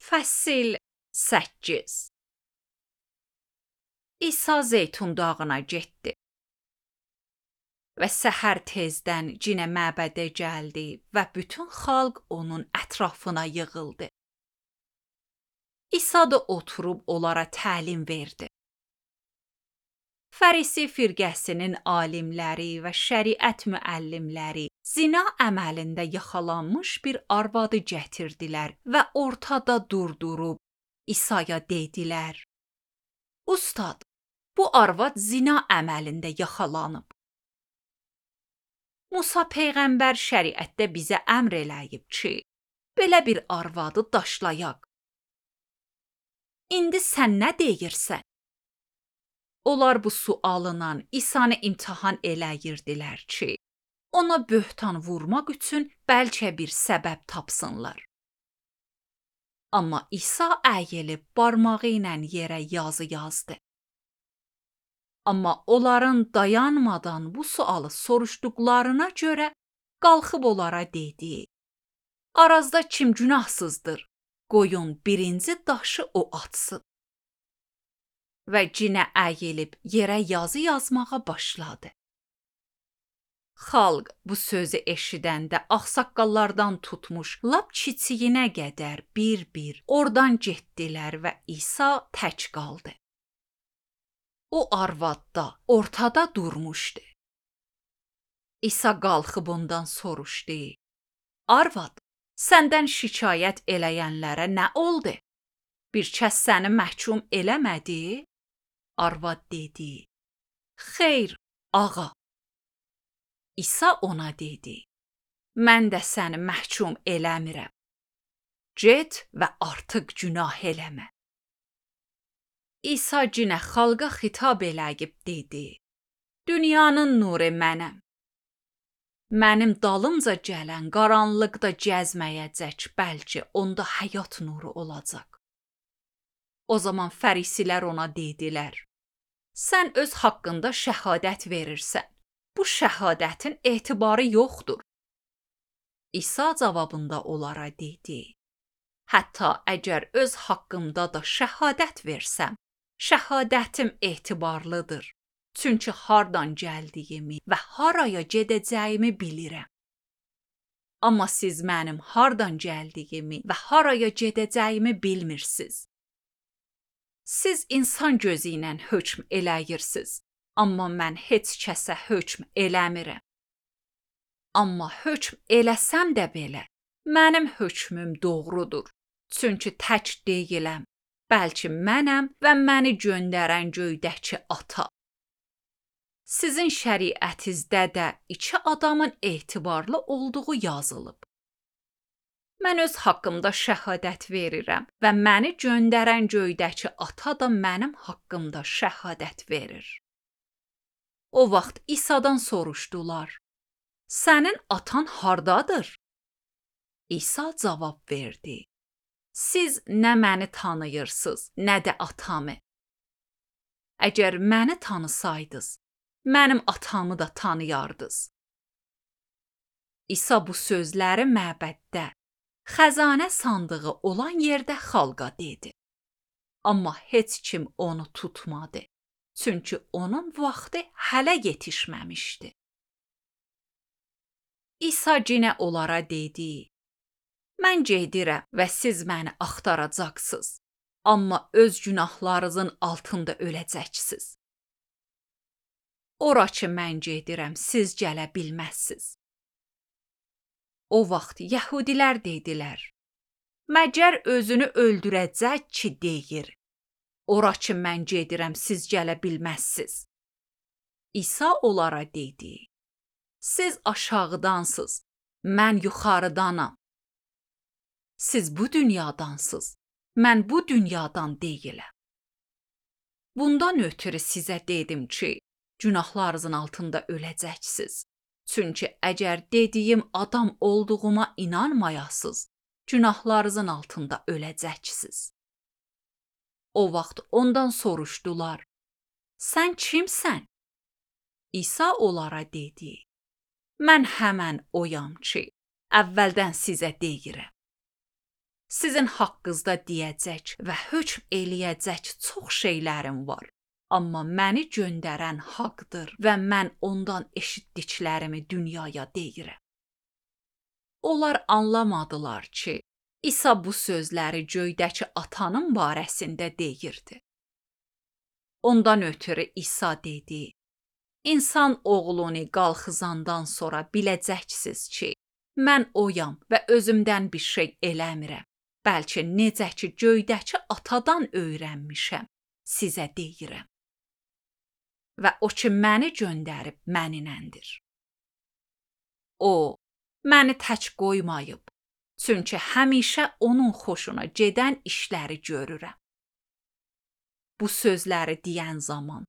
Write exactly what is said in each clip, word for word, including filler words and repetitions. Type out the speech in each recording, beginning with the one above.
Fəsil səkkiz. İsa Zeytun dağına getdi və səhər tezdən cinə məbədə gəldi və bütün xalq onun ətrafına yığıldı. İsa da oturub onlara təlim verdi. Fərisi firqəsinin alimləri və şəriət müəllimləri zina əməlində yaxalanmış bir arvadı gətirdilər və ortada durdurub İsa'ya dedilər: "Ustad, bu arvad zina əməlində yaxalanıb. Musa peyğəmbər şəriətdə bizə əmr eləyib ki, belə bir arvadı daşlayaq. İndi sən nə deyirsən?" Onlar bu sualına İsa'nı imtahan eləyirdilər ki, ona böhtan vurmaq üçün bəlkə bir səbəb tapsınlar. Amma İsa əyilib barmağı ilə yerə yazı yazdı. Amma onların dayanmadan bu sualı soruşduqlarına görə qalxıb onlara dedi: "Arazda kim günahsızdır? Qoyun birinci daşı o atsın." Və cinə əyilib yerə yazı yazmağa başladı. Xalq bu sözü eşidəndə ağsaqqallardan tutmuş lap kiçiyinə qədər bir-bir oradan getdilər və İsa tək qaldı. O arvad da ortada durmuşdu. İsa qalxıb ondan soruşdu: "Arvad, səndən şikayət eləyənlərə nə oldu? Bir kəs səni məhkum eləmədi?" Arvad dedi: "Xeyr, ağa." İsa ona dedi: "Mən də səni məhkum eləmirəm. Get və artıq günah eləmə." İsa cinə xalqa xitab eləyib dedi: "Dünyanın nuru mənəm. Mənim dalımca gələn qaranlıqda gəzməyəcək, bəlkə onda həyat nuru olacaq." O zaman fərisilər ona dedilər: "Sən öz haqqında şəhadət verirsən. Bu şəhadətin etibarı yoxdur." İsa cavabında onlara dedi: "Hətta əgər öz haqqımda da şəhadət versəm, şəhadətim etibarlıdır. Çünki hardan gəldiyimi və haraya gedəcəyimi bilirəm. Amma siz mənim hardan gəldiyimi və haraya gedəcəyimi bilmirsiniz. Siz insan gözü ilə hökm eləyirsiniz, amma mən heç kəsə hökm eləmirəm. Amma hökm eləsəm də belə, mənim hökmüm doğrudur. Çünki tək deyiləm, bəlkə mənəm və məni göndərən göydəki ata. Sizin şəriətinizdə də iki adamın etibarlı olduğu yazılıb. Mən öz haqqımda şəhadət verirəm və məni göndərən göydəki ata da mənim haqqımda şəhadət verir." O vaxt İsa'dan soruşdular: "Sənin atan hardadır?" İsa cavab verdi: "Siz nə məni tanıyırsınız, nə də atamı. Əgər məni tanısaydınız, mənim atamı da tanıyardınız." İsa bu sözləri məbəddə, xəzanə sandığı olan yerdə xalqa dedi. Amma heç kim onu tutmadı. Çünki onun vaxtı hələ yetişməmişdi. İsa cinə onlara dedi: "Mən gedirəm və siz məni axtaracaqsınız. Amma öz günahlarınızın altında öləcəksiniz. Ora ki mən gedirəm, siz gələ bilməzsiniz." O vaxt yəhudilər dedilər: "Məgər özünü öldürəcək ki deyir, ora ki mən gedirəm, siz gələ bilməzsiniz." İsa onlara dedi: "Siz aşağıdansınız, mən yuxarıdanam. Siz bu dünyadansınız, mən bu dünyadan deyiləm. Bundan ötürü sizə dedim ki, günahlarınızın altında öləcəksiniz. Çünki əgər dediyim adam olduğuma inanmayasınız, günahlarınızın altında öləcəksiniz." O vaxt ondan soruşdular: "Sən kimsən?" İsa onlara dedi: "Mən həmən oyam ki, əvvəldən sizə deyirəm. Sizin haqqınızda deyəcək və hökm eləyəcək çox şeylərim var. Amma məni göndərən haqdır və mən ondan eşitdiklərimi dünyaya deyirəm. Onlar anlamadılar ki, İsa bu sözləri göydəki atanın barəsində deyirdi. Ondan ötürü İsa dedi: İnsan oğlunu qalxızandan sonra biləcəksiniz ki, mən oyam və özümdən bir şey eləmirəm. Bəlkə necə ki göydəki atadan öyrənmişəm, sizə deyirəm. Və o ki məni göndərib məninəndir. O, məni tək qoymayıb, çünki həmişə onun xoşuna gedən işləri görürəm. Bu sözləri deyən zaman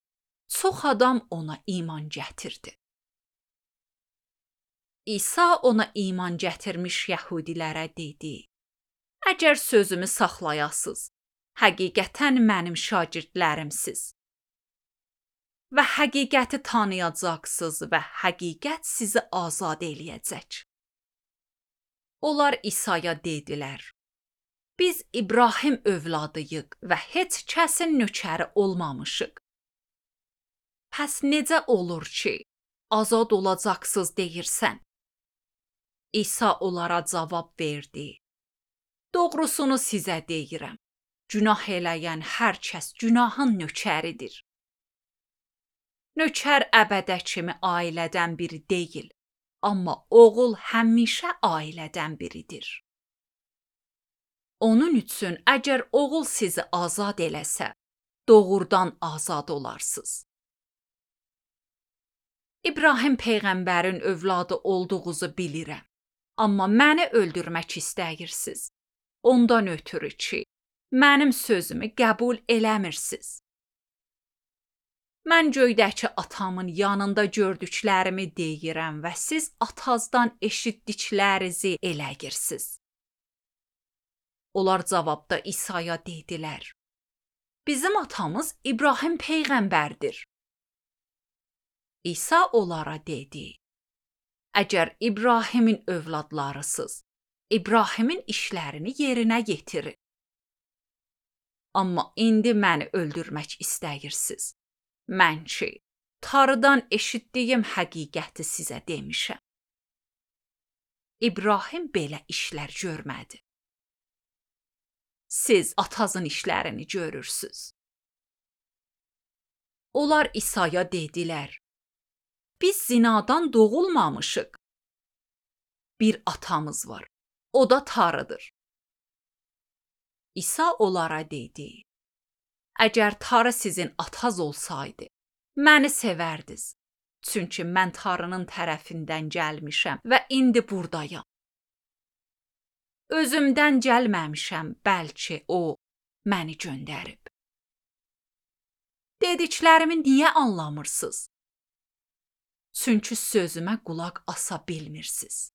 çox adam ona iman gətirdi. İsa ona iman gətirmiş yəhudilərə dedi: Əgər sözümü saxlayasınız, həqiqətən mənim şagirdlərimsiz və həqiqəti tanıyacaqsınız və həqiqət sizi azad eləyəcək. Onlar İsa'ya dedilər: Biz İbrahim övladıyıq və heç kəsin nökəri olmamışıq. Pəs necə olur ki, azad olacaqsınız deyirsən? İsa onlara cavab verdi: Doğrusunu sizə deyirəm. Günah eləyən hər kəs günahın nökəridir. Nökər əbədə kimi ailədən biri deyil, amma oğul həmişə ailədən biridir. Onun üçün əgər oğul sizi azad eləsə, doğrudan azad olarsınız. İbrahim peyğəmbərin övladı olduğunuzu bilirəm, amma məni öldürmək istəyirsiniz. Ondan ötürü ki, mənim sözümü qəbul eləmirsiniz. Mən göydəki atamın yanında gördüklərimi deyirəm və siz atazdan eşitdiklərinizi eləyirsiniz. Onlar cavabda İsa'ya dedilər: Bizim atamız İbrahim peyğəmbərdir. İsa onlara dedi: Əgər İbrahimin övladlarısınız, İbrahimin işlərini yerinə yetirin. Amma indi məni öldürmək istəyirsiniz. Mən ki, Tanrıdan eşitdiyim həqiqəti sizə demişəm. İbrahim belə işlər görmədi. Siz atazın işlərini görürsünüz. Onlar İsa'ya dedilər: Biz zinadan doğulmamışıq. Bir atamız var, o da Tanrıdır. İsa onlara dedi: Əgər Tanrı sizin ataz olsaydı, məni sevərdiniz. Çünki mən Tanrının tərəfindən gəlmişəm və indi buradayam. Özümdən gəlməmişəm, bəlkə o məni göndərib. Dediklərimi niyə anlamırsınız? Çünki sözümə qulaq asa bilmirsiniz.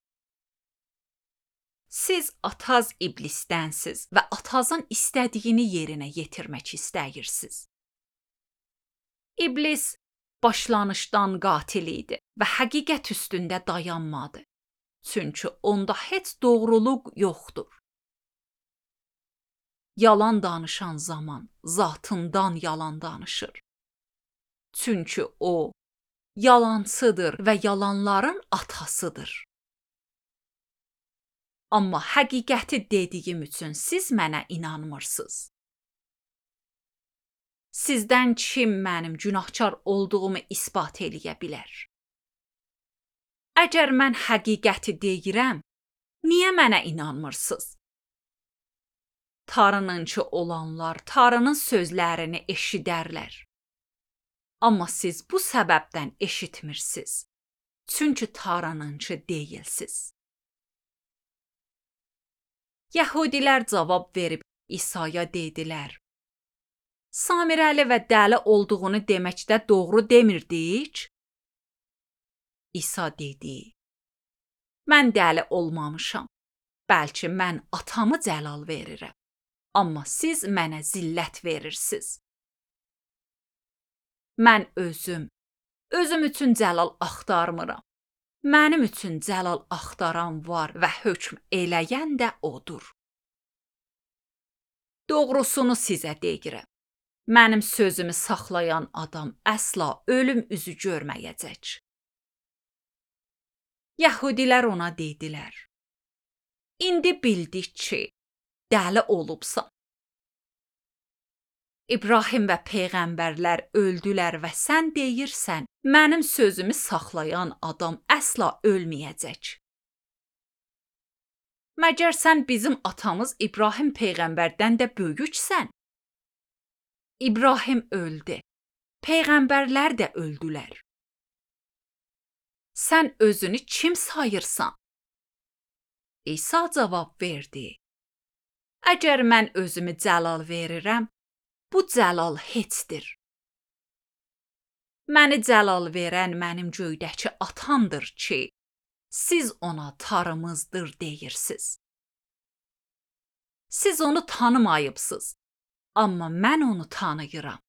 Siz ataz iblisdənsiz və atazın istədiyini yerinə yetirmək istəyirsiniz. İblis başlanışdan qatil idi və həqiqət üstündə dayanmadı. Çünki onda heç doğruluq yoxdur. Yalan danışan zaman zatından yalan danışır. Çünki o yalancıdır və yalanların atasıdır. Amma həqiqəti dediyim üçün siz mənə inanmırsınız. Sizdən kim mənim günahkar olduğumu isbat eləyə bilər? Əgər mən həqiqəti deyirəm, niyə mənə inanmırsınız? Tanrınınki olanlar Tanrının sözlərini eşidərlər. Amma siz bu səbəbdən eşitmirsiniz. Çünki Tanrınınki deyilsiz. Yəhudilər cavab verib İsa'ya dedilər: Samirəli və dəli olduğunu deməkdə doğru demirdik? İsa dedi: Mən dəli olmamışam. Bəlkə mən atamı cəlal verirəm. Amma siz mənə zillət verirsiniz. Mən özüm, özüm üçün cəlal axtarmıram. Mənim üçün cəlal axtaran var və hökm eləyən də odur. Doğrusunu sizə deyirəm. Mənim sözümü saxlayan adam əsla ölüm üzü görməyəcək. Yəhudilər ona dedilər: İndi bildik ki, dəli olubsan. İbrahim və peyğəmbərlər öldülər və sən deyirsən, mənim sözümü saxlayan adam əsla ölməyəcək. Məgər sən bizim atamız İbrahim peyğəmbərdən də böyüksən? İbrahim öldü, peyğəmbərlər də öldülər. Sən özünü kim sayırsan? İsa cavab verdi: Əgər mən özümü cəlal verirəm, bu cəlal heçdir. Məni cəlal verən mənim göydəki atamdır ki, siz ona tarımızdır deyirsiniz. Siz onu tanımayıbsınız, amma mən onu tanıyıram.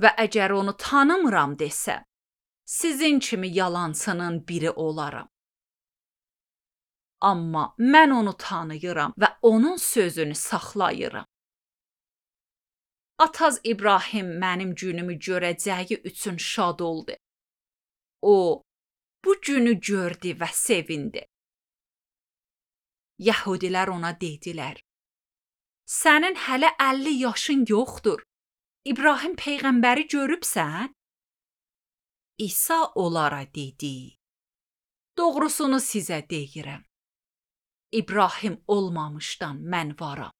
Və əgər onu tanımıram desəm, sizin kimi yalançının biri olaram. Amma mən onu tanıyıram və onun sözünü saxlayıram. Ataz İbrahim mənim günümü görəcəyi üçün şad oldu. O, bu günü gördü və sevindi. Yəhudilər ona dedilər: Sənin hələ əlli yaşın yoxdur. İbrahim peyğəmbəri görübsən? İsa onlara dedi: Doğrusunu sizə deyirəm. İbrahim olmamışdan mən varam.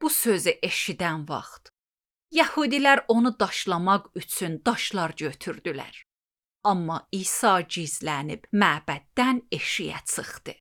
Bu sözü eşidən vaxt Yəhudilər onu daşlamaq üçün daşlar götürdülər. Amma İsa gizlənib məbəddən eşiyə çıxdı.